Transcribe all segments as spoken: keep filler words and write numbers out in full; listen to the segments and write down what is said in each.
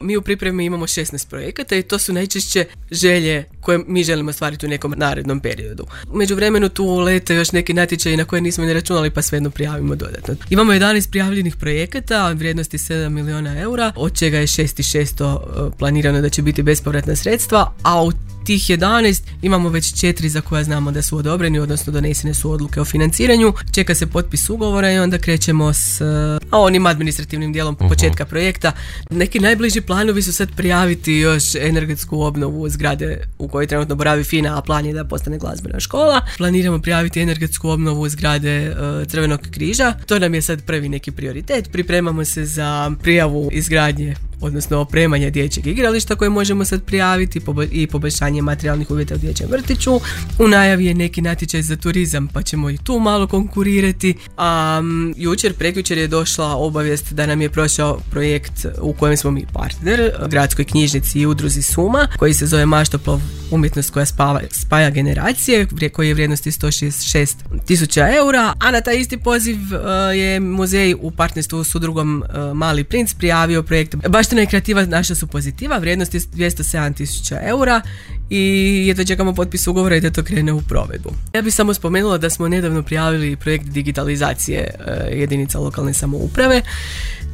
Mi u pripremi imamo šesnaest projekata i to su najčešće želje koje mi želimo ostvariti u nekom narednom periodu. U međuvremenu tu lete još neki natječaji na koje nismo ni računali, pa svejedno prijavimo dodatno. Imamo jedanaest prijavljenih projekata vrijednosti sedam milijuna eura, od čega je šest tisuća šesto planirano da će biti bespovratna sredstva, a u tih jedanaest imamo već četiri za koja znamo da su odobreni, odnosno donesene su odluke o financiranju. Čeka se potpis ugovora i onda krećemo s a, onim administrativnim dijelom uh-huh. početka projekta. Neki najbliži planovi su sad prijaviti još energetsku obnovu zgrade u kojoj trenutno boravi FINA, a plan je da postane glazbena škola. Planiramo prijaviti energetsku obnovu zgrade uh, Crvenog križa. To nam je sad prvi neki prioritet. Pripremamo se za prijavu izgradnje, odnosno opremanje dječjeg igrališta koje možemo sad prijaviti i poboljšanje materijalnih uvjeta u dječjem vrtiću. U najavi je neki natječaj za turizam, pa ćemo i tu malo konkurirati. A um, jučer, prekjučer je došla obavijest da nam je prošao projekt u kojem smo mi partner, gradskoj knjižnici i udruzi Suma, koji se zove Maštoplov, umjetnost koja spava, spaja generacije, koji je vrijednosti sto šezdeset šest tisuća eura, a na taj isti poziv uh, je muzej u partnerstvu s udrugom uh, Mali princ prijavio projekt Baština i kreativa naša su pozitiva, vrijednosti dvjesto sedam tisuća eura i jedva čekamo potpis ugovora i da to krene u provedbu. Ja bih samo spomenula da smo nedavno prijavili projekt digitalizacije uh, jedinica lokalne samouprave.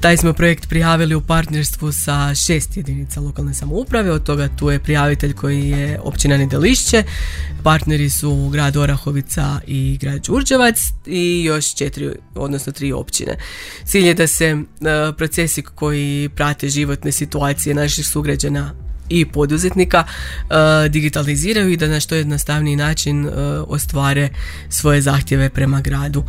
Taj smo projekt prijavili u partnerstvu sa šest jedinica lokalne samouprave, od toga tu je prijavitelj koji je općina Nedelišće, partneri su grad Orahovica i grad Đurđevac i još četiri, odnosno tri općine. Cilj je da se uh, procesi koji prate životne situacije naših sugrađana i poduzetnika uh, digitaliziraju i da na što jednostavniji način uh, ostvare svoje zahtjeve prema gradu.